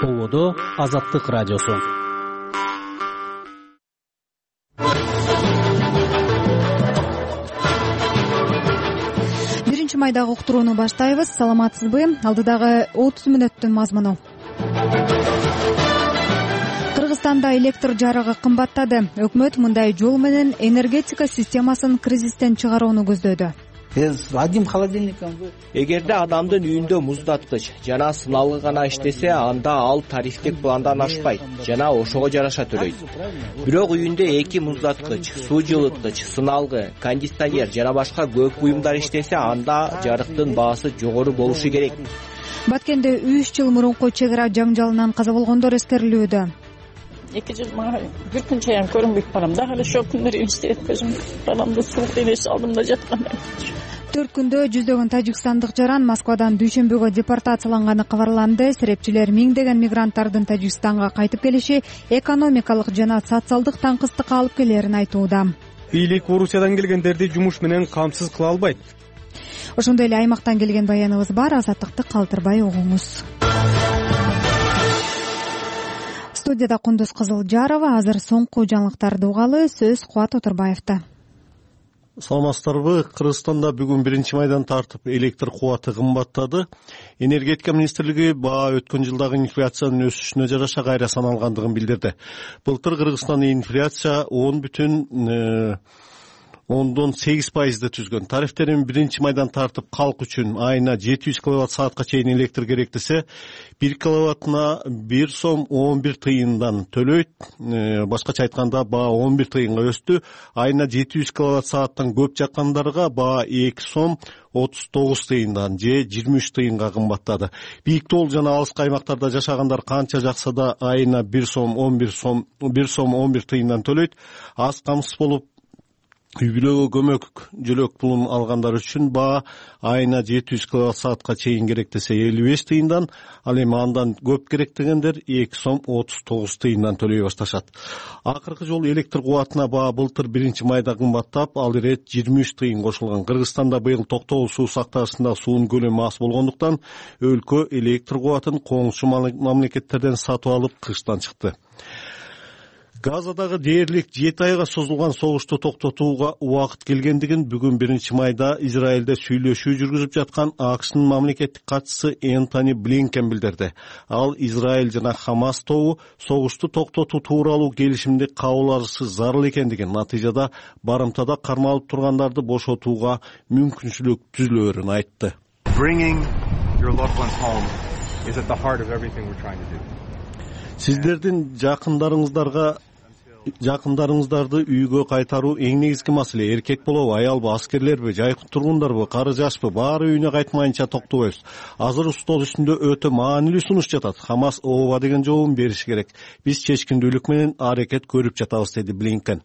Ободо Азаттык радиосу. Биринчи майдагы уктурууну баштайбыз. Саламатсызбы? Алдыдагы 30 мүнөттүн мазмуну. Кыргызстанда электр жарыгы кымбаттады. Өкмөт мындай жол менен энергетика системасын кризистен чыгарууну көздөдү. Одним холодильником. Эгерде адамдын үйүндө муздаткыч жана сыналгы гана иштесе, анда ал тарифтик пландан ашпайт жана ошого жараша төлөйт. Бирок үйүндө 2 муздаткыч, суу жылыткыч, сыналгы, кондиционер жана башка көп буюмдар иштесе, анда жарыктын баасы жогору болушу керек. Баткенде 3 жыл мурунку чек ара жаңжалынан каза болгондор эскерилүүдө. 2 жыл мага бир күн чаян көрүнбөйт балам. Дагы эле ошол күндөр эстеп көзүм баламды суук элеш алдымда жаткан. 4 күндө жүздөгөн тажикстандык жаран Москвадан дүйшөмбөгө депортацияланганы кабарланды. Серепчилер миңдеген мигранттардын Тажикстанга кайтып келиши экономикалык жана социалдык таңкыстыкка алып келерин айтууда. Бийлик Орусиядан келгендерди жумуш менен камсыз кыла албайт. Ошондой эле аймактан келген баяныбыз бар. Азаттыкты калтырбай угуңуз. Студияда Кундуз Кызылжарова. Азыр соңку жаңылыктарды угалы. Сөз Кубат Отурбаевда. Саламатсыздарбы? Кыргызстанда бүгүн 1-майдан тартып электр кубаты кымбаттады. Энергетика министрлиги баа өткөн жылдагы инфляциянын өсүшүнө жараша кайра саналгандыгын билдирди. Былтыр Кыргызстанда инфляция 10,8% түзгөн. Тарифтерин 1-майдан тартып калк үчүн айына 700 киловатт саатка чейин электр керек десе, 1 киловаттына 1 сом 11 тыйындан төлөйт. Башкача айтканда баа 11 тыйынга өстү. Айына 700 киловатт сааттан көп жаккандарга баа 2 сом 39 тыйындан же 23 тыйынга кымбаттады. Бийик тоол жана алыскы аймактарда жашагандар канча жакса да айына 1 сом 11 тыйындан төлөйт. Аз камсыз болуп үй бүлөгө көмөк жөлөк пулун алгандар үчүн баа айына 700 киловатт саатка чейин керек десе 55 тыйындан, ал эми андан көп керек дегендер 2 сом 39 тыйындан төлөй башташат. Акыркы жолу электр кубатына баа былтыр 1-майда кымбаттап, ал ирет 23 тыйын кошулган. Кыргызстанда быйыл токтогул суу сактагычында суунун көлөмү аз болгондуктан өлкө электр кубатын коңшу мамлекеттерден сатып алып кыштан чыкты. Газадагы дээрлик 7 айга созулган согушту токтотууга убакыт келгендигин бүгүн 1-майда Израилде сүйлөшүү жүргүзүп жаткан АКШнын мамлекеттик катчысы Энтони Блинкен билдирди. Ал Израиль жана Хамас тобу согушту токтотуу тууралуу келишимди кабыл алышы зарыл экендигин, натыйжада барымтада кармалып тургандарды бошотууга мүмкүнчүлүк түзүлөөрүн айтты. Сиздердин жакындарыңыздарды үйгө кайтаруу эң негизги маселе. Эркек болобу, аялбы, аскерлерби, жайкы тургундарбы, кары жашпы, баары үйүнө кайтмайынча токтобойбуз. Азыр стол үстүндө өтө маанилүү сунуш жатат. Хамас ооба деген жообун бериши керек. Биз чечкиндүүлүк менен аракет көрүп жатабыз, деди Блинкен.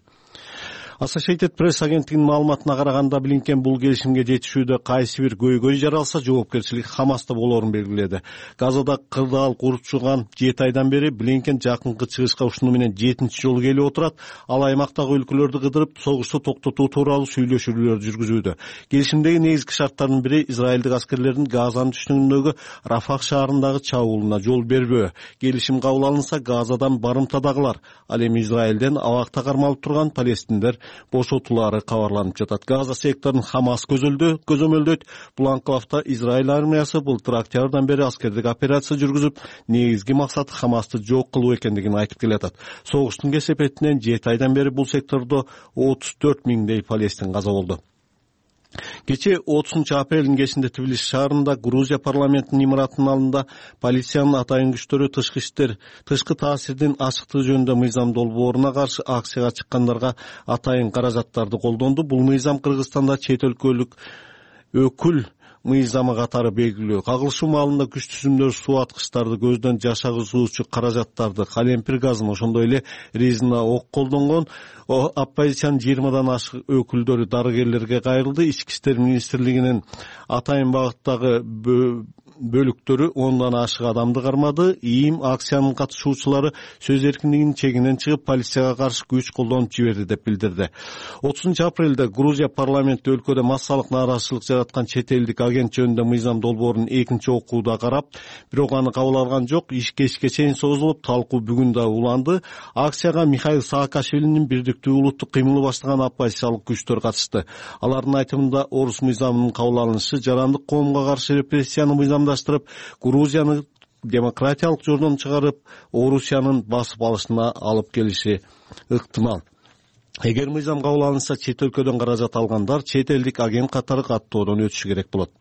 Associated Press агенттигинин маалыматына караганда, Блинкен бул келишимге жетишүүдө кайсы бир көйгөй жаралса, жоопкерчилик Хамаста болоорун белгиледи. Газада кырдаал курчуган 7 айдан бери Блинкен жакынкы чыгышка ушуну менен 7-чи жолу келип отурат. Ал аймактагы өлкөлөрдү кыдырып, согушту токтотуу тууралуу сүйлөшүүлөр жүргүзүүдө. Келишимдеги негизги шарттардын бири израилдик аскерлердин Газанын түштүгүндөгү Рафах шаарындагы чабуулуна жол бербөө. Келишим кабыл алынса, Газадан барымтадагылар, ал эми Израилден абакта кармалып турган палестиндер бошотулары кабарланып жатат. Газа секторун Хамас көзөмөлдөйт. Бул анклавда Израиль армиясы былтыр октябрдан бери аскердик операция жүргүзүп, негизги максаты Хамасты жок кылуу экендигин айтып келатат. Согуштун кесепетинен 7 айдан бери бул сектордо 34 миңдей палестин каза болду. Кечээ 30-апрелдин кечинде Тбилиси шаарында Грузия парламентинин имаратынын алдында полициянын атайын күчтөрү тышкы таасирдин ачыктыгы жөнүндө мыйзам долбооруна каршы акцияга чыккандарга атайын каражаттарды колдонду. Бул мыйзам Кыргызстанда чет өлкөлүк өкүл мыйзамы катары белгилүү. Кагылышуу маалында күч түзүмдөр, суу аткычтарды, көздөн жашагызуучу каражаттарды, калемпир газын, ошондой эле резина ок колдонгон оппозициянын 20дан ашык өкүлдөрү дарыгерлерге кайрылды. Ички иштер министрлигинин атайын багыттагы бөлүктөрү 10дан ашык адамды кармады. ИИМ акциянын катышуучулары сөз эркиндигинин чегинен чыгып, полицияга каршы күч колдонуп жиберди деп билдирди. 30-апрелде Грузия парламенти өлкөдө массалык нааразычылык жараткан чет элдик агент жөнүндө мыйзам долбоорун экинчи окууда карап, бирок аны кабыл алган жок. Иш кечке чейин созулуп, талкуу бүгүн да уланды. Акцияга Михаил Саакашвилинин бирдиктүү улуттук кыймылы баштаган оппозициялык күчтөр катышты. Алардын айтымында орус мыйзамынын кабыл алынышы жарандык коомго каршы репрессияны мыйзамдаштырып, Грузияны демократиялык жолдон чыгарып, Орусиянын басып алышына алып келиши ыктымал. Эгер мыйзам кабыл алынса, чет өлкөдөн каражат алгандар чет элдик агент катары каттоодон өтүшү керек болот.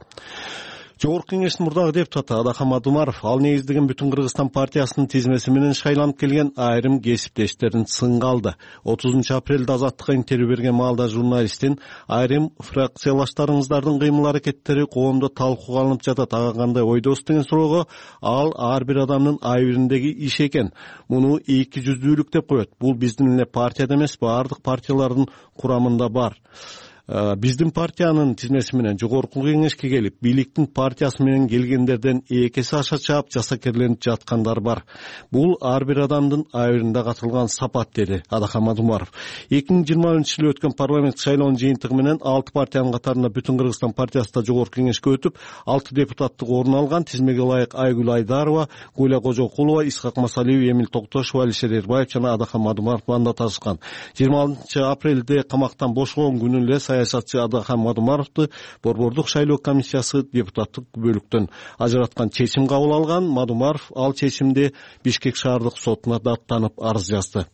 Жогорку кеңештин мурдагы депутаты Адахам Мадумаров ал негиздеген Бүтүн Кыргызстан партиясынын тизмеси менен шайланып келген айрым кесиптештерин сынга алды. 30-апрелде Азаттыкка интервью берген маалда журналисттин айрым фракциялаштарыңыздардын кыймыл-аракеттери коомдо талкууга алынып жатат, ага кандай ойдосуз деген суроого ал ар бир адамдын айбириндеги иш экен. Муну эки жүздүүлүк деп коет. Бул биздин эле партияда эмес, баардык партиялардын курамында бар. Биздин партиянын тизмеси менен жогорку кеңешке келип, бийликтин партиясы менен келгендерден экеси аша чаап жасакерленип жаткандар бар. Бул ар бир адамдын айбиринде катылган сапат, деди Адахам Мадумаров. 2020-жылы өткөн парламент шайлоонун жыйынтыгы менен 6 партиянын катарында Бүтүн Кыргызстан партиясы да жогорку кеңешке өтүп, 6 депутаттык орун алган. Тизмеге ылайык Айгүл Айдарова, Гуля Кожокулова, Исхак Масалиев, Эмил Токтошев, Алишер Эрбаев жана Адахам Мадумаров мандат алышкан. 26-апрелде камактан бошогон күнү эле саясатчы Адахам Мадумаровду Борбордук шайлоо комиссиясы депутаттык бөлүктөн ажыраткан чечим кабыл алган. Мадумаров ал чечимди Бишкек шаардык сотуна даттанып арыз жазды.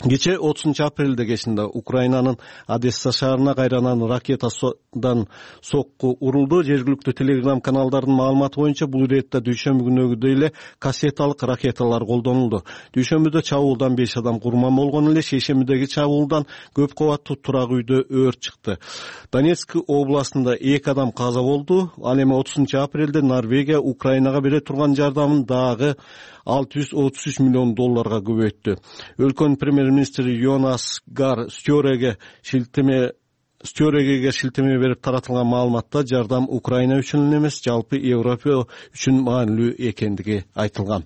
Кече 30-апрелде кечинде Украинанын Одесса шаарына кайранан ракетадан сокку урулду. Жергиликтүү телеграм каналдардын маалыматы боюнча бул иретте дүйшөмбү күнүгүдөй эле кассеталык ракеталар колдонулду. Дүйшөмбүдө чабуулдан 5 адам курман болгон эле. Шейшембидеги чабуулдан көп кабаттуу турак үйдө өрт чыкты. Донецк областында 2 адам каза болду. Ал эми 30-апрелде Норвегия Украинага бере турган жардамын дагы $633 миллион көбөйттү. Өлкөнүн премьер-министри Йонас Гар Стёреге шилтеме берип таратылган маалыматта жардам Украина үчүн эле эмес, жалпы Европа үчүн маанилүү экендиги айтылган.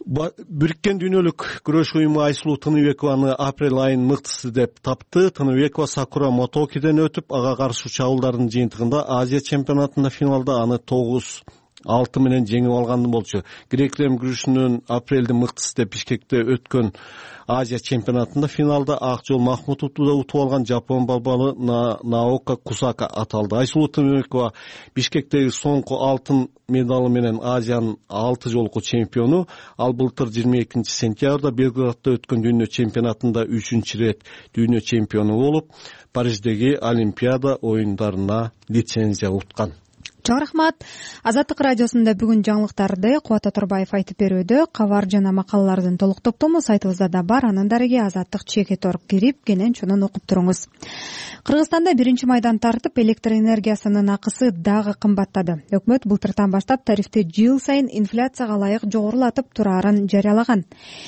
Бириккен дүйнөлүк күрөш уюму Айсулуу Тыныбекованы апрель айынын мыктысы деп тапты. Тыныбекова Сакура Мотокиден өтүп, ага каршы чабуулдардын жыйынтыгында Азия чемпионатында финалда аны 9-6 менен жеңип алган болчу. Грек-рим күрөшүнүн апрелде мыктысы деп Бишкекте өткөн Азия чемпионатында финалда ак жол Махмутовду да утуп алган жапон балбалы Наока Кусака аталды. Айсулуу Тыныбекова Бишкектеги соңку алтын медалы менен Азиянын 6 жолку чемпиону. Ал былтыр 22-сентябрда Белградда өткөн дүйнө чемпионатында 3-рет дүйнө чемпиону болуп, Париждеги Олимпиада оюндарына лицензия уткан. Чоң рахмат. Азаттык радиосунда бүгүн жаңылыктарды Кубат Оторбаев айтып берүүдө. Кабар жана макалалардын толук топтому сайтыбызда да бар. Анын дареги azattik.org кирип, кенен чонун окуп туруңуз. Кыргызстанда 1-майдан тартып электр энергиясынын акысы дагы кымбаттады. Өкмөт былтыртан баштап тарифти жыл сайын инфляцияга ылайык жогорулатып турарын жарыялаган.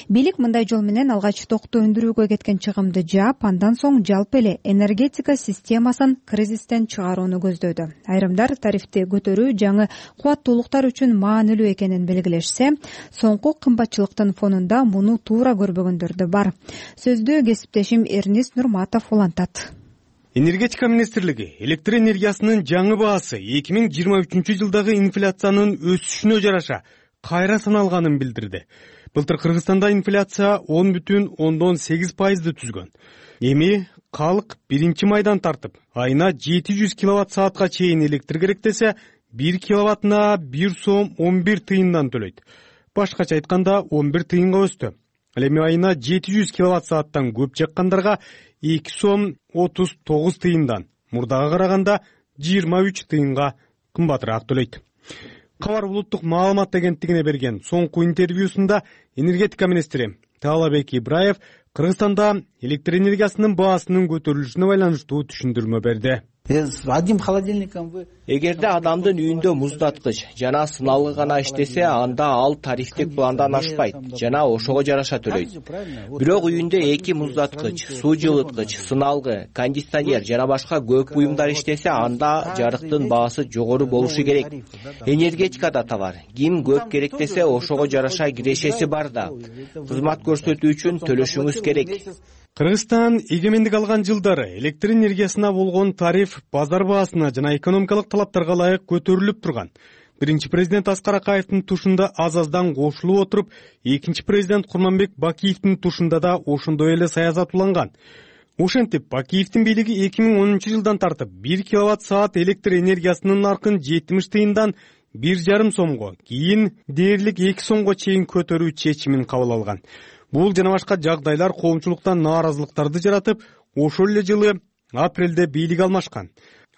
Бийлик мындай жол менен алгач токту өндүрүүгө кеткен чыгымды жаап, андан соң жалпы эле энергетика системасын кризистен чыгарууну көздөдү. Айрымдар тарифти көтөрүү жаңы кубаттуулуктар үчүн маанилүү экенин белгилешсе, соңку кымбатчылыктын фонунда муну туура көрбөгөндөр да бар. Сөздү кесиптешим Эрнис Нурматов улантат. Энергетика министрлиги электр энергиясынын жаңы баасы 2023 жылдагы инфляциянын өсүшүнө жараша кайра саналганын билдирди. Былтыр Кыргызстанда инфляция 10,8% түзгөн. Эми калк 1-майдан тартып, айына 700 киловатт-саатка чейин электр керек десе, 1 киловаттына 1 сом 11 тыйындан төлөйт. Башкача айтканда 11 тыйынга өстү. Ал эми айына 700 киловатт-сааттан көп жаккандарга 2 сом 39 тыйындан, мурдага караганда 23 тыйынга кымбатыраак төлөйт. Кабар улуттук маалымат агенттигине берген соңку интервьюсунда энергетика министри Таалабек Ибраев Кыргызстанда электр энергиясынын баасынын көтөрүлүшүнө байланыштуу түшүндүрмө берди. Один холодильником вы. Эгерде адамдын үйүндө муздаткыч жана сыналгы гана иштесе, анда ал тарифтик пландан ашпайт жана ошого жараша төлөйт. Бирок үйүндө 2 муздаткыч, суу жылыткыч, сыналгы, кондиционер жана башка көп буюмдар иштесе, анда жарыктын баасы жогору болушу керек. Энергетика да талар. Ким көп керек десе, ошого жараша кирешеси бар да. Кызмат көрсөтүү үчүн төлөшүңүз керек. Кыргызстан эгемендик алган жылдары электр энергиясына болгон тариф базар баасына жана экономикалык талаптарга ылайык көтөрүлүп турган. Биринчи президент Аскар Акаевдин тушунда аз-аздан кошулуп отуруп, экинчи президент Курманбек Бакиевдин тушунда да ошондой эле саясат уланган. Ошентип, Бакиевдин бийлиги 2010-жылдан тартып 1 киловатт-саат электр энергиясынын наркын 70 тыйындан 1,5 сомго, кийин дээрлик 2 сомго чейин көтөрүү чечимин кабыл алган. Бул жана башка жагдайлар коомчулуктан нааразылыктарды жаратып, ошол эле жылы апрелде бийлик алмашкан.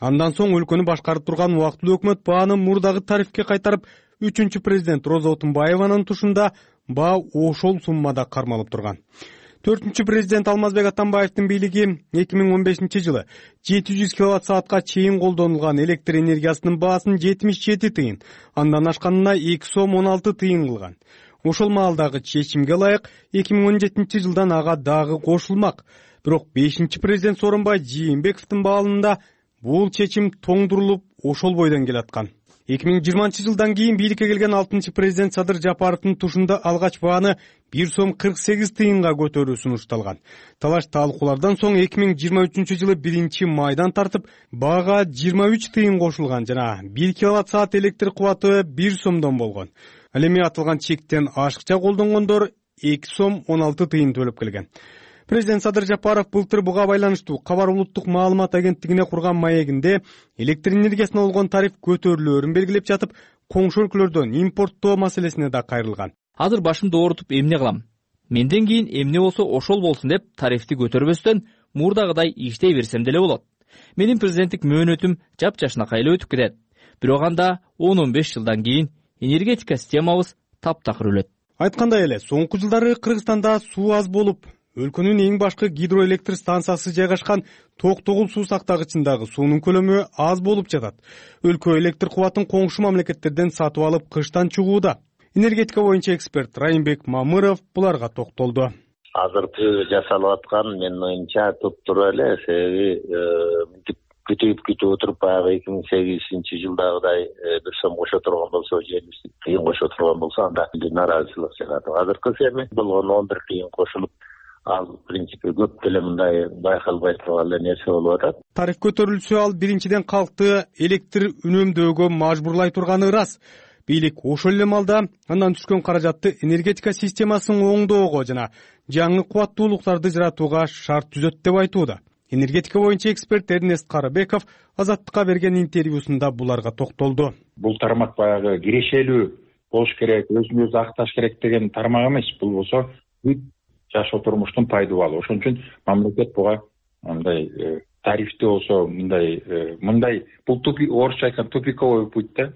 Андан соң өлкөнү башкарып турган убактылуу өкмөт бааны мурдагы тарифке кайтарып, 3-чү президент Роза Отунбаеванын тушунда баа ошол суммада кармалып турган. 4-чү президент Алмазбек Атамбаевдин бийлиги 2015-жылы 700 киловатт-саатка чейин колдонулган электр энергиясынын баасын 77 тыйын, андан ашканына 2 сом 16 тыйын кылган. Ошол маалдагы чечимге ылайык 2017-жылдан ага дагы кошулмак. Бирок 5-чи президент Сооронбай Жээнбековдун баалында бул чечим тоңдурулуп, ошол бойдон келаткан. 2020-жылдан кийин бийликке келген 6-чы президент Садыр Жапаровдун тушунда алгач бааны 1 сом 48 тыйынга көтөрүү сунушталган. Талаш талкуулардан соң 2023-жылы 1-майдан тартып баага 23 тыйын кошулган жана 1 киловатт-саат электр кубаты 1 сомдон болгон. Ал эми атылган чектен ашыкча колдонгондор 2 сом 16 тыйын төлөп келген. Президент Садыр Жапаров былтыр буга байланыштуу Кабар улуттук маалымат агенттигине курган маегинде электр энергиясына болгон тариф көтөрүлөөрүн белгилеп жатып, коңшу өлкөлөрдөн импорттоо маселесине да кайрылган. Азыр башымды оорутуп эмне кылам? Менден кийин эмне болсо ошол болсун деп тарифти көтөрбөстөн мурдагыдай иштей берсем деле болот. Менин президенттик мөөнөтүм жапжашнакай эле өтүп кетет. Бирок анда 10-15 жылдан кийин энергетика системабыз таптакыр өлөт. Айткандай эле, соңку жылдары Кыргызстанда суу аз болуп, өлкөнүн эң башкы гидроэлектр станциясы жайгашкан Токтогул суу сактагычындагы суунун көлөмү аз болуп жатат. Өлкө электр кубатын коңшу мамлекеттерден сатып алып кыштан чыгууда. Энергетика боюнча эксперт Райымбек Мамыров буларга токтолду. Азыркы жасалып аткан менин оюмча туптура эле, себеби күтүп отуруп баягы 2008-жылдагыдай 1 сом кошо турган болсо, 70 тыйын кошо турган болсо, анда нааразычылык чыгат. Азыркы эми болгон 11 тыйын кошулуп, ал в принципе көп деле мындай байкалбай турган эле нерсе болуп атат. Тариф көтөрүлсө, ал биринчиден калкты электр үнөмдөөгө мажбурлай турганы ырас. Бийлик ошол эле малда андан түшкөн каражатты энергетика системасын оңдоого жана жаңы кубаттуулуктарды жаратууга шарт түзөт деп айтууда. Энергетика боюнча эксперт Эрнест Карыбеков Азаттыкка берген интервьюсунда буларга токтолду. Бул тармак баягы кирешелүү болуш керек, өзүн өзү акташ керек деген тармак эмес. Бул болсо бүт жашоо турмуштун пайдубалы. Ошон үчүн мамлекет буга мындай тарифти болсо мындай бул орусча айтканда тупиковый путь да.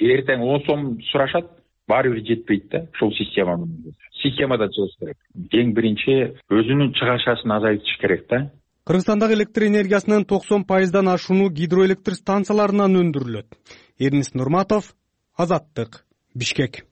Эртең 10 сом сурашат, баары бир жетпейт да. Ушул системадан чыгыш керек. Эң биринчи өзүнүн чыгашасын азайтыш керек да. Кыргызстандагы электр энергиясынын 90%дан ашууну гидроэлектр станцияларынан өндүрүлөт. Эрнис Нурматов, Азаттык, Бишкек.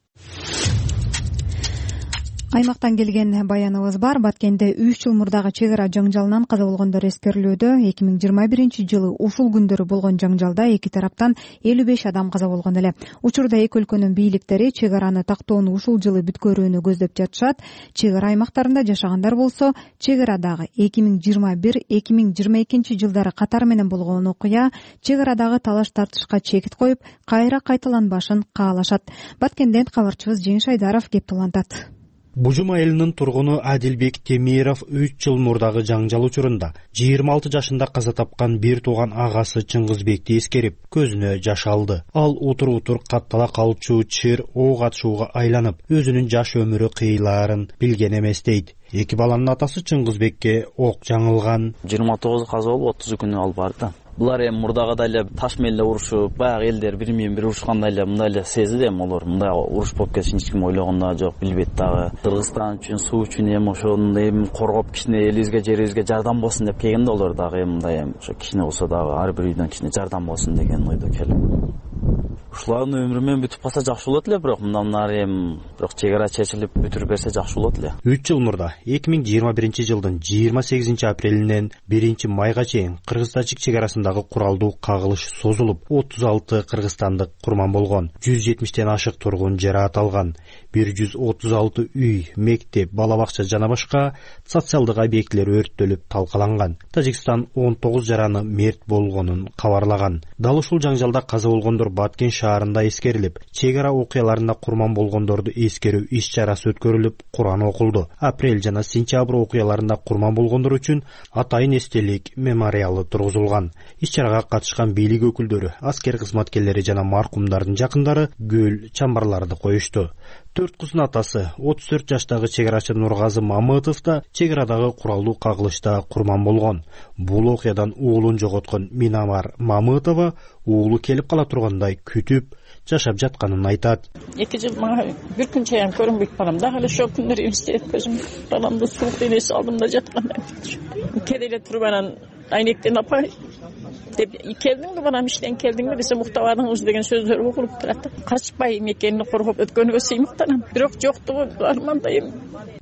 Аймактан келген баяныбыз бар. Баткенде 3 жыл мурдагы чек ара жаңжалынан каза болгондор эскерилүүдө. 2021-жылы ушул күндөрү болгон жаңжалда эки тараптан 55 адам каза болгон эле. Учурда эки өлкөнүн бийликтери чек араны тактоону ушул жылы бүткөрүүнү көздөп жатышат. Чек ара аймактарында жашагандар болсо, чек арадагы 2021-2022 жылдары катар менен болгон окуя чек арадагы талаш тартышка чекит коюп, кайра кайталанбашын каалашат. Баткенден кабарчыбыз Жеңиш Айдаров кеп улантат. Бужум айылынын тургуну Адилбек Темиров 3 жыл мурдагы жаңжал учурунда 26 жашында каза тапкан бир тууган агасы Чыңгызбекти эскерип, көзүнө жаш алды. Ал утур каттала калчу чыр ок атышууга айланып, өзүнүн жаш өмүрү кыйлаарын билген эмес дейт. Эки баланын атасы Чыңгызбекке ок жаңылган. 29 каза болуп 30 күнү ал барды. булар эми мурдагыдай эле таш менен эле урушуп, баягы элдер бири менен бири урушкандай эле мындай эле сезди эми олар. Мындай уруш болуп кетишин эч ким ойлогон да жок, билбейт дагы. Кыргызстан үчүн, суу үчүн эми ошону эми коргоп кичине элибизге, жерибизге жардам болсун деп келген да олар дагы эми мындай эми ошо кичине болсо дагы ар бир үйдөн кичине жардам болсун деген ойдо келип. Ушулардын өмүрү менен бүтүп калса жакшы болот эле, бирок мындан нары эми бирок чек ара чечилип бүтүрүп берсе жакшы болот эле. 3 жыл мурда 2021-жылдын 28-апрелинен 1-майга чейин Кыргыз-Тажик чек арасындагы куралдуу кагылыш созулуп, 36 кыргызстандык курман болгон, 170тен ашык тургун жараат алган, 136 үй, мектеп, бала бакча жана башка социалдык объектилер өрттөлүп талкаланган. Тажикстан 19 жараны мерт болгонун кабарлаган. Дал ушул жаңжалда каза болгондор Баткен шаарында эскерилип, чек ара окуяларында курман болгондорду эскерүү иш-чарасы өткөрүлүп, Куран окулду. Апрель жана сентябрь окуяларында курман болгондор үчүн атайын эстелик мемориалы тургузулган. Иш-чарага катышкан бийлик өкүлдөрү, аскер кызматкерлери жана маркумдардын жакындары гүл чамбарларды коюшту. 4 кыздын атасы 34 жаштагы чек арачы Нургазы Мамытов да чек арадагы куралдуу кагылышта курман болгон. Бул окуядан уулун жоготкон Минамар Мамытова уулу келип кала тургандай күтүп жашап жатканын айтат. 2 жыл мага бир күн чейин көрүнбөйт балам. Дагы эле ошол күндөр элестейт көзүм. Баламды суук денеси алдымда жаткандай. Кеде эле туруп анан айнектен апай деп келдиңби балам, иштен келдиңби десем, уктабадыңбы деген сөздөр угулуп турат. Качпай мекенди коргоп өткөнүгө сыймыктанам. Бирок жоктугу армандайм.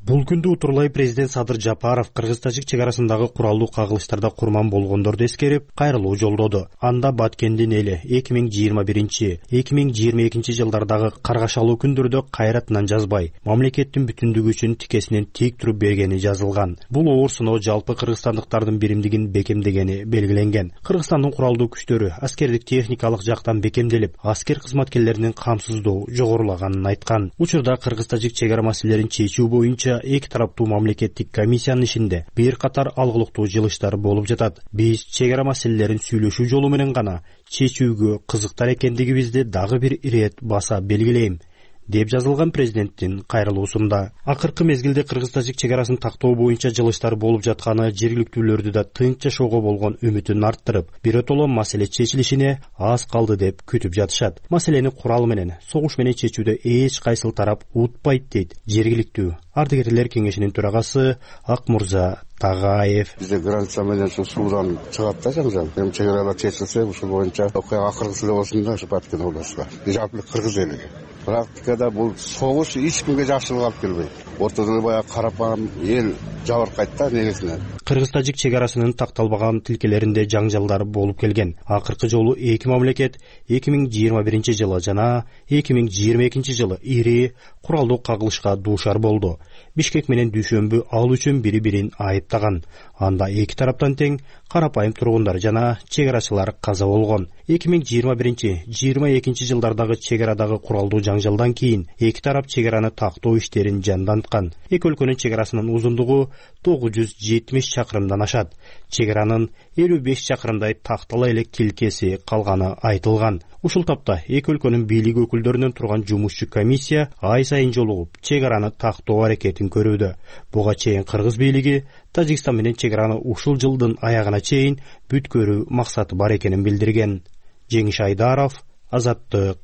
Бул күндү утурлай президент Садыр Жапаров Кыргыз-Тажик чек арасындагы куралдуу кагылыштарда курман болгондорду эскерип, кайрылуу жолдоду. Анда Баткендин эли 2021-2022 жылдардагы каргашалуу күндөрдө кайратынан жазбай, мамлекеттин бүтүндүгү үчүн тикесинен тик туруп бергени жазылган. Бул оор сыноо жалпы кыргызстандыктардын биримдигин бекемдегени белгиленген. Кыргызстандын куралдуу күчтөрү аскердик техникалык жактан бекемделип, аскер кызматкерлеринин камсыздоо жогорулаганын айткан. Учурда Кыргыз-Тажик чек ара маселелерин чечүү боюнча эки тараптуу мамлекеттик комиссиянын ишинде бир катар алгылыктуу жылыштар болуп жатат. Биз чек ара маселелерин сүйлөшүү жолу менен гана чечүүгө кызыктар экендигибизди дагы бир ирет баса белгилейм, деп жазылган президенттин кайрылуусунда. Акыркы мезгилде Кыргыз-Тажик чек арасын тактоо боюнча жылыштар болуп жатканы жергиликтүүлөрдү да тынч жашоого болгон үмүтүн арттырып, биротоло маселе чечилишине аз калды деп күтүп жатышат. Маселени курал менен, согуш менен чечүүдө эч кайсыл тарап утпайт дейт жергиликтүү ардыгерлер кеңешинин төрагасы Акмурза Тагаев. Бизде граница менен суудан чыгат да жаңжал. Эми чек аралар чечилсе, ушул боюнча окуя акыркысы эле болсун да, ушу Баткен областында. Жалпы Кыргыз элиге. Практикада бул согуш эч кимге жакшылык алып келбейт. Ортодо баягы карапайым эл жабыркайт да негизинен. Кыргыз-Тажик чек арасынын такталбаган тилкелеринде жаңжалдар болуп келген. Акыркы жолу эки мамлекет 2021 жана 2022 жылы ири куралдуу кагылышка дуушар болду. Бишкек менен Дүйшөмбү ал үчүн бири-бирин айыптаган. Анда эки тараптан тең карапайым тургундар жана чек арачылар каза болгон. 2021-22 жылдардагы чек арадагы куралдуу жаңжалдан кийин эки тарап чек араны тактоо иштерин жанданткан. Эки өлкөнүн чек арасынын узундугу 970 чакырымдан ашат. Чек аранын 55 чакырымдай тактала элек тилкеси калганы айтылган. Ушул тапта эки өлкөнүн бийлик өкүлдөрүнөн турган жумушчу комиссия ай сайын жолугуп чек араны тактоо аракетин көрүүдө. Буга чейин кыргыз бийлиги Тажикстан менен чек араны ушул жылдын аягына чейин бүткөрүү максаты бар экенин билдирген. Жеңиш Айдаров, Азаттык,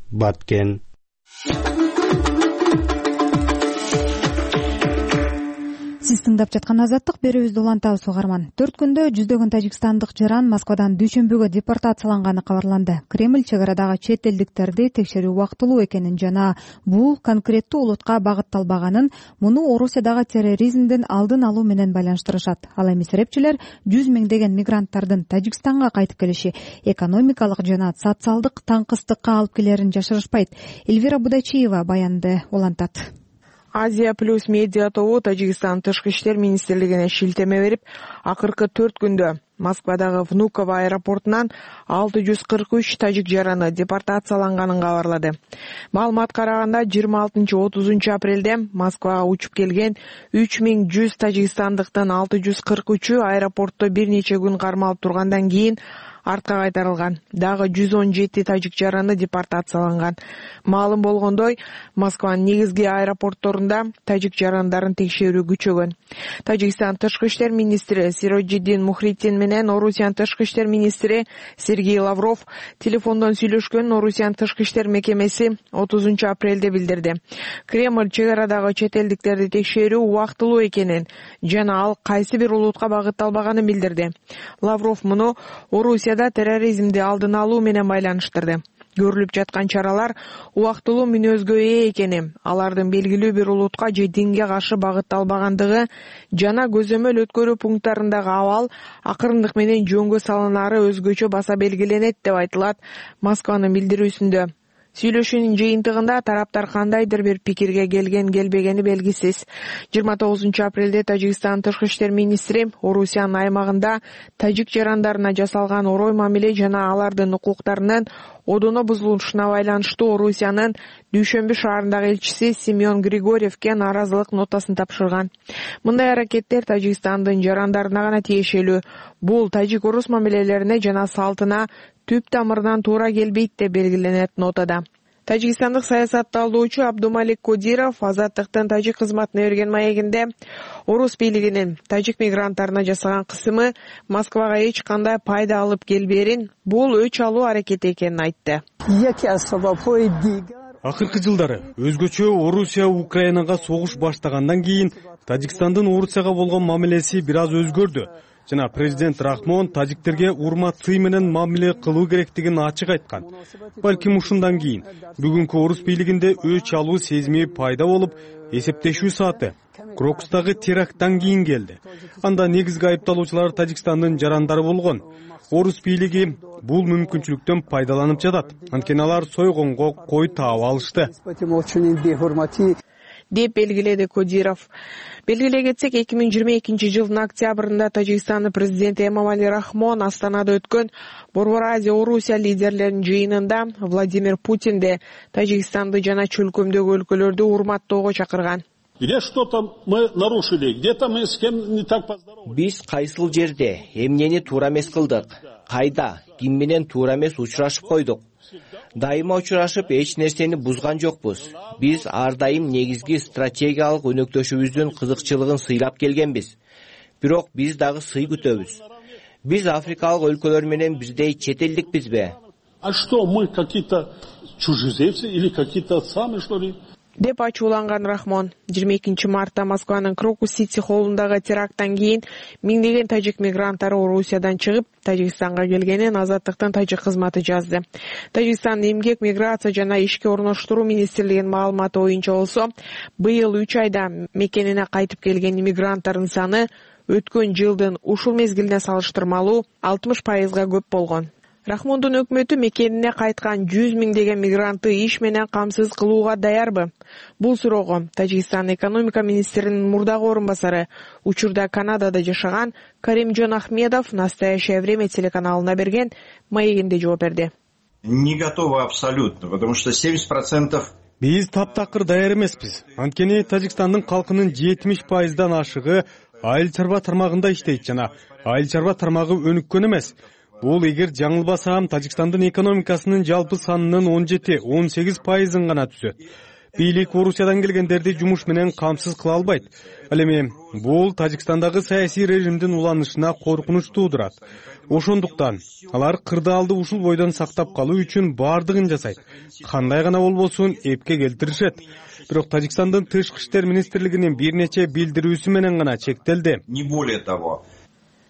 Баткен. Сиз тыңдап жаткан Азаттык, берүүбүздү улантабыз угарман. 4 күндө жүздөгөн тажикстандык жаран Москвадан Дүйшөмбүгө депортацияланганы кабарланды. Кремль чек арадагы чет элдиктерди текшерүү убактылуу экенин жана бул конкреттүү улутка багытталбаганын, муну Орусиядагы терроризмдин алдын алуу менен байланыштырышат. Ал эми серепчилер 100 миңдеген мигранттардын Тажикстанга кайтып келиши экономикалык жана социалдык таңкыстыкка алып келерин жашырышпайт. Эльвира Будачиева баянды улантат. Азия плюс медиа тобу Тажикстан тышкы иштер министрлигине шилтеме берип, акыркы 4 күндө Москвадагы Внуково аэропортунан 643 тажик жараны депортацияланганын кабарлады. Маалыматка караганда 26-30 апрелде Москвага учуп келген 3100 тажикстандыктын 643-ü аэропортто бир нече күн кармалып тургандан кийин артка кайтарылган. Дагы 117 тажик жараны депортацияланган. Маалым болгондой, Москванын негизги аэропортторунда тажик жарандарын текшерүү күчөгөн. Тажикстан тышкы иштер министри Сироджиддин Мухриддин менен Орусиянын тышкы иштер министри Сергей Лавров телефондон сүйлөшкөнүн Орусиянын тышкы иштер мекемеси 30 апрелде билдирди. Кремль чек арадагы чет элдиктерди текшерүү убактылуу экенин жана ал кайсы бир улутка багытталбаганын билдирди. Лавров муну Орусияда терроризмди алдын алуу менен байланыштырды. Көрүлүп жаткан чаралар убактылуу мүнөзгө ээ экени, алардын белгилүү бир улутка же динге каршы багытталбагандыгы жана көзөмөл өткөрүү пункттарындагы абал акырындык менен жөнгө салынары өзгөчө баса белгиленет деп айтылат Москванын билдирүүсүндө. Сүйлөшүүнүн жыйынтыгында тараптар кандайдыр бир пикирге келбегени белгисиз. 29 апрелде Тажикстан тышкы иштер министри Орусиянын аймагында тажик жарандарына жасалган орой мамиле жана алардын укуктарынын одоно бузулушуна байланыштуу Орусиянын Дүйшөмбү шаарындагы элчиси Семен Григорьевке нааразылык нотасын тапшырган. Мындай аракеттер Тажикстандын жарандарына гана тиешелүү. Бул тажик-орус мамилелерине жана салтына түп тамырынан туура келбейт деп белгиленет нотада. Тажикстандык саясатталуучу Абдумалик Кодиров Азаттыктын тажик кызматына берген маегинде орус бийлигинин тажик мигранттарына жасаган кысымы Москвага эч кандай пайда алып келбээрин, бул өч алуу аракети экенин айтты. Акыркы жылдары өзгөчө Орусия Украинага согуш баштагандан кийин Тажикстандын Орусияга болгон мамилеси бир аз өзгөрдү. Жана президент Рахмон тажиктерге урмат сый менен мамиле кылуу керектигин ачык айткан. Балким ушундан кийин бүгүнкү орус бийлигинде өч алуу сезими пайда болуп, эсептешүү сааты Крокустагы теракттан кийин келди. Анда негизги айыпталуучулар Тажикстандын жарандары болгон. Орус бийлиги бул мүмкүнчүлүктөн пайдаланып жатат. Анткени алар сойгонго кой таап алышты деп белгиледи Кодиров. Белгилей кетсек, 2022 жылдын октябрында Тажикстандын президенти Эмомали Рахмон Астанада өткөн Борбор Азия Орусия лидерлеринин жыйынында Владимир Путинди Тажикстанды жана чөлкөмдөгү өлкөлөрдү урматтоого чакырган. Где что-то мы нарушили, где-то мы с кем не так поздоровались. Биз кайсыл жерде эмнени туура эмес кылдык? Кайда, ким менен туура эмес учурашып койдук? Дайыма учурашып эч нерсени бузган жокпуз. Биз ар дайым негизги стратегиялык өнөктөшүбүздүн кызыкчылыгын сыйлап келгенбиз. Бирок биз дагы сый күтөбүз. Биз африкалык өлкөлөр менен бирдей чет элдикпизби? А что, мы какие-то чужеземцы или какие-то сами, что ли? Деп ачууланган Рахмон 22 мартта Москванын Крокус-Сити холлундагы теракттан кийин миңдеген тажик мигранттары Орусиядан чыгып Тажикстанга келгенин Азаттыктын тажик кызматы жазды. Тажикстандын эмгек, миграция жана ишке орноштуруу министрлигинин маалыматы боюнча болсо, быйыл 3 айда мекенине кайтып келген мигранттардын саны өткөн жылдын ушул мезгилине салыштырмалуу 60%га көп болгон. Рахмондун өкмөтү мекенине кайткан 100 миңдеген мигрантты иш менен камсыз кылууга даярбы? Бул суроого Тажикстан экономика министринин мурдагы орун басары, учурда Канадада жашаган Каримжон Ахмедов «Настоящее время» телеканалына берген маегинде жооп берди. Не готовы абсолютно, потому что 70%... Биз таптакыр даяр эмеспиз. Анткени Тажикстандын калкынын 70%дан ашыгы айыл чарба тармагында иштейт жана айыл чарба тармагы өнүккөн эмес. Бул эгер жаңылбасам, Тажикстандын экономикасынын жалпы санынын 17-18%-ын гана түзөт. Бийлик Орусиядан келгендерди жумуш менен камсыз кыла албайт. Ал эми бул Тажикстандагы саясий режимдин уланышына коркунуч туудурат. Ошондуктан алар кырдаалды ушул бойдон сактап калуу үчүн бардыгын жасайт. Кандай гана болбосун эпке келтиришет. Бирок Тажикстандын тышкы иштер министрлигинин бир нече билдирүүсү менен гана чектелди. Не более того,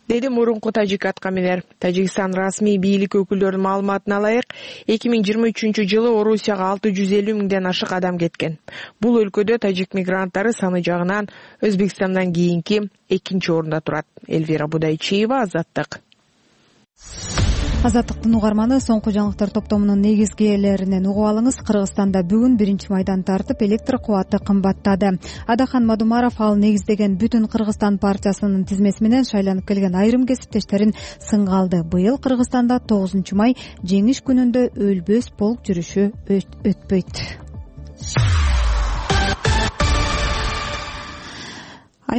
деди мурунку тажик аткаминер. Тажикстан расмий бийлик өкүлдөрүнүн маалыматына ылайык, 2023 жылы Орусияга 650 миңден ашык адам кеткен. Бул өлкөдө тажик мигранттары саны жагынан Өзбекстандан кийинки 2-орунда турат. Эльвира Будайчиева, Азаттык. Азаттыктын угарманы, соңку жаңылыктар топтомунун негизгилеринен угуп алыңыз. Кыргызстанда бүгүн 1-майдан тартып электр кубаты кымбаттады. Адахан Мадумаров ал негиздеген Бүтүн Кыргызстан партиясынын тизмеси менен шайланып келген айрым кесиптештерин сынга алды. Быйыл Кыргызстанда 9-май жеңиш күнүндө өлбөс полк жүрүшү өтпөйт.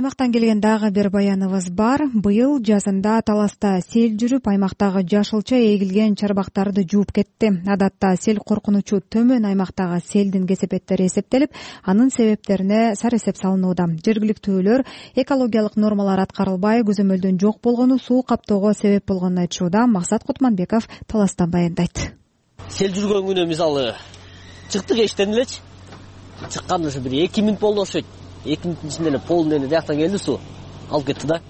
Аймактан келген дагы бир баяныбыз бар. Быйыл жазында Таласта сел жүрүп, аймактагы жашылча эгилген чарбактарды жууп кетти. Адатта сел коркунучу төмөн аймактагы селдин кесепеттери эсептелип, анын себептерине сарысеп салынууда. Жергиликтүүлөр экологиялык нормалар аткарылбай, көзөмөлдөн жок болгону суу каптоого себеп болгонун айтышууда. Максат Кутманбеков Таластан баяндайт. Сел жүргөн күнү мисалы чыктык эштен элечи. Чыккан ушу бир 2 мүнөт болду окшойт. 2 мүнөттүн ичинде эле полдун эле жактан келди суу. Алып кетти да.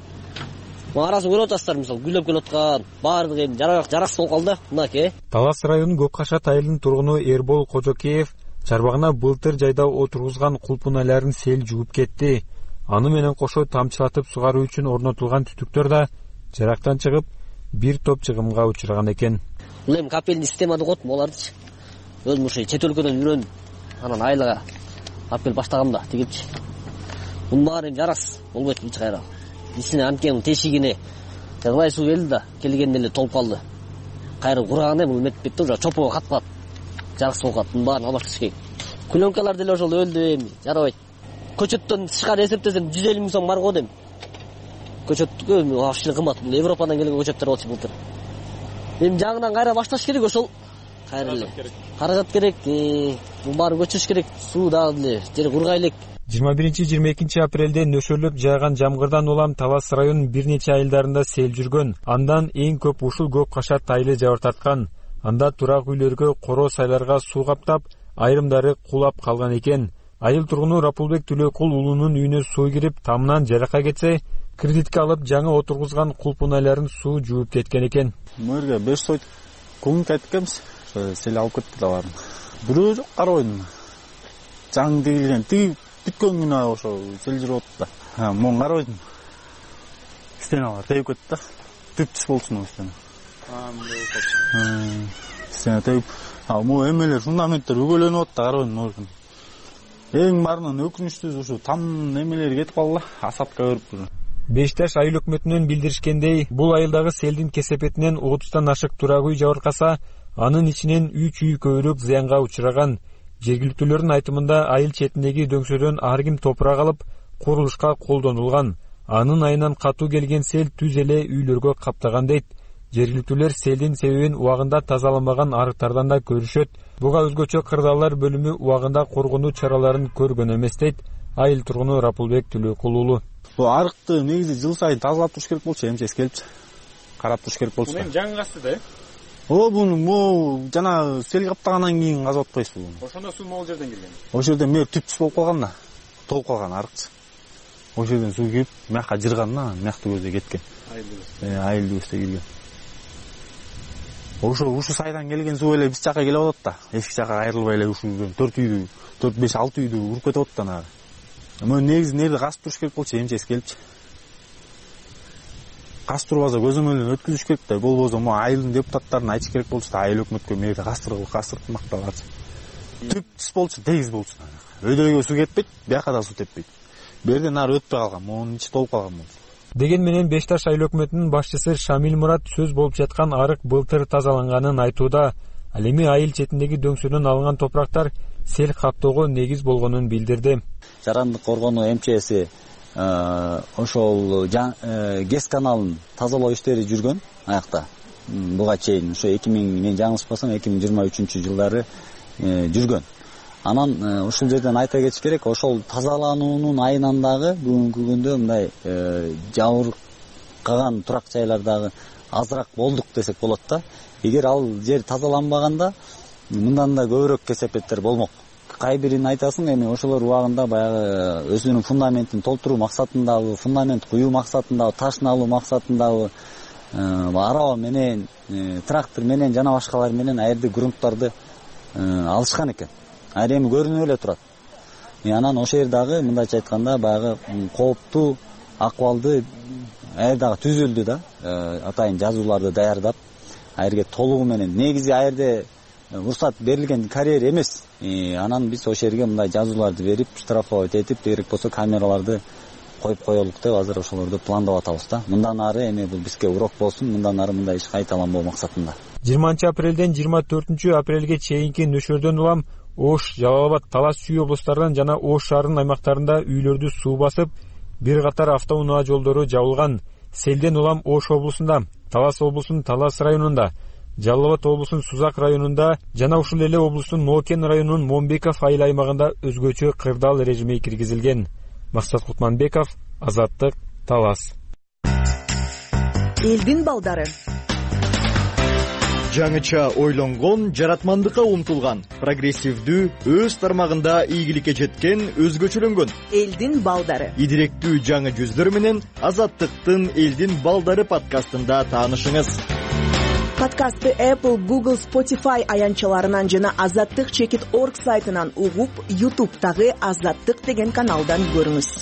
Арасын көрүп атасыздар, мисалы гүлөп келаткан баардыгы эми жараксыз болуп калды. Мынакей. Талас районунун Көккашат айылынын тургуну Эрбол Кожокеев чарбагына былтыр жайда отургузган кулпуналарын сел жууп кетти. Аны менен кошо тамчылатып сугаруу үчүн орнотулган түтүктөр да жарактан чыгып, бир топ чыгымга учураган экен. Бул эми капельный система деп коет буларды. Өзүм ошо чет өлкөдөн үйрөнүп, анан айылга алып келип баштагам да тигипчи. Бунун баары жараксыз болбойт эч кайра. Ичине анткени тешигине ылай суу келди да, келгенде эле толуп калды. Кайра кураганда бул метип кетти, уже чопого каткат. Жараксыз болуп калды. Бунун баарын албаш керек. Пленкалар деле ошол өлдү эми, жарабайт. Көчөттөн тышкары эсептесем 150 миң сом бар го дейм. Көчөткө вообще кымбат. Бул Европадан келген көчөттөр болчу былтыр. Эми жаңынан кайра башташ керек ошол. Кайра эле. Каражат керек. Бул баарын көчүрүш керек. Суу дагы эле жер кургай элек. 21-22 апрелде нөшөрлөп жааган жамгырдан улам Талас районунун бир нече айылдарында сел жүргөн. Андан эң көп ушул Көккашат айылы жабыр тарткан. Анда турак үйлөргө, коро сайларга суу каптап, айрымдары кулап калган экен. Айыл тургуну Рапулбек Түлөкул уулунун үйүнө суу кирип, тамынан жарака кетсе, кредитке алып жаңы отургузган кулпуналарын суу жууп кеткен экен. Мөргө 5 сойт көңүн кайтканбыз. Сел алып кетти да барын. Бирөө жок карабайдым. Жаң дегилген тиги бүткөн күнү ошо сел жүрүп атты да. Мон карабайдым. Стеналар тееп кетти да. Түп-түз болчу стена. Стена тееп, могу эмелер фундаменттер үгөлөнүп атты, карабайдым мөргөн. Эң баарынан өкүнүчтүүсү ушу там немелери кетип калды, асапка көрүп. Бешташ айыл өкмөтүнөн билдиришкендей, бул айылдагы селдин кесепетинен 30тан ашык турак үй жабыркаса, анын ичинен 3 үй көбүрөөк зыянга учураган. Жергиликтүүлөрдүн айтымында айыл четиндеги дөңсөдөн ар ким топурак алып, курулушка колдонулган. Анын айынан катуу келген сел түз эле үйлөргө каптаган дейт. Жергиликтүүлөр селдин себебин убагында тазаланбаган арыктардан да көрүшөт. Буга өзгөчө кырдаалар бөлүмү убагында коргонуу чараларын көргөн эмес дейт айыл тургуну Рапулбек Түлөкул уулу. Бул арыкты негизи жыл сайын тазалап туруш керек болчу, эмчес келипчи. Карап туруш керек болчу. Бул жаңы касты да? Бул жана сел каптагандан кийин казып атпайсыз бул. Ошондо суу могул жерден келген. Ошол жерден мэр түп-түз болуп калган да. Толуп калган арыкчы. Ошол жерден суу кирип, мякка жырган да, мякты көздөй кеткен. Айылды көздөй келген. Ушу сайдан келген суу эле биз жака келип атат да. Эшик жака айрылбай эле ушу 4 үйдү, 4-5-6 үйдү уруп кетип атат да. Мен негизи нерде касып туруш керек болчу, эмчес келипчи. Кастырбаса көзөмөлдөн өткүзүш керек да. Болбосо айылдын депутаттарына айтыш керек болчу да, айыл өкмөткө мэрде кастырып макталарчы. Түп-түз болчу, тегиз болчу. Өйдөгө суу кетпейт, бияка да суу теппейт. Берден нары өтпөй калган, монун ичи толуп калган болчу. Деген менен Бешташ айыл өкмөтүнүн башчысы Шамил Мурат сөз болуп жаткан арык былтыр тазаланганын айтууда. Ал эми айыл четиндеги дөңсөдөн алынган топурактар сел каптоого негиз болгонун билдирди. Жарандык коргонуу МЧСи ошол ГЭС каналын тазалоо иштери жүргөн аякта. Буга чейин ошо 2000 мен жаңылышпасам 2023 жылдары жүргөн. Анан ушул жерден айта кетиш керек, ошол тазалануунун айынан дагы бүгүнкү күндө мындай жабыркаган турак жайлардагы азыраак болдук десек болот да. Эгер ал жер тазаланбаганда мындан да көбүрөөк кесепеттер болмок. Кай бирин айтасың, эми ошолор убагында баягы өзүнүн фундаментин толтуруу максатындагы, фундамент куюу максатындагы, ташын алуу максатындагы араба менен, трактор менен жана башкалар менен аерде грунттарды алышкан экен. Айры эми көрүнүп эле турат. Анан ошол жер дагы мындайча айтканда баягы кооптуу акыбалды аердагы түзүлдү да. Атайын жазууларды даярдап, аерге толугу менен негизи аерде уруксат берилген карьер эмес. Анан биз ошол жерге мындай жазууларды берип, штрафовать этип, керек болсо камераларды коюп коелук деп азыр ошолорду пландап атабыз да. Мындан ары эми бул бизге урок болсун, мындан ары мындай иш кайталанбоо максатында. 20-апрелден 24-апрелге чейинки нөшөрдөн улам Ош, Жалал Абад, Талас Чүй облустарынан жана Ош шаарынын аймактарында үйлөрдү суу басып, бир катар автоунаа жолдору жабылган. Селден улам Ош облусунда, Талас облусунун Талас районунда, Жалал Абад облусунун Сузак районунда жана ушул эле облустун Нокен районунун Момбеков айыл аймагында өзгөчө кырдаал режими киргизилген. Максат Кутманбеков, Азаттык, Талас. Элдин балдары. Жаңыча ойлонгон, жаратмандыкка умтулган, прогрессивдүү, өз тармагында ийгиликке жеткен, өзгөчөлөнгөн. Элдин балдары. Идиректүү жаңы жүздөр менен Азаттыктын Элдин балдары подкастында таанышыңыз. Подкастты Apple, Google, Spotify аянтчаларынан жана azattik.org сайтынан угуп, YouTube'дагы Азаттык деген каналдан көрүңүз.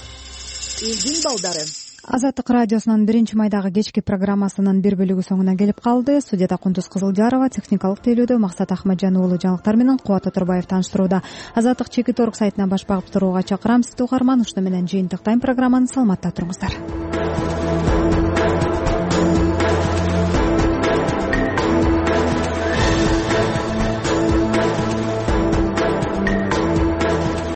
Элдин балдары. Азаттык радиосунун 1-майдагы кечки программасынын бир бөлүгү соңуна келип калды. Студияда Кундуз Кызылжарова, техникалык тейлөөдө Максат Ахмаджан уулу, жаңылыктар менен Кубат Отурбаев тааныштырууда. Азаттык.org сайтынан баш багып турууга чакырам сизди угарман. Ушуну менен жыйынтыктайм программаны. Саламатта туруңуздар.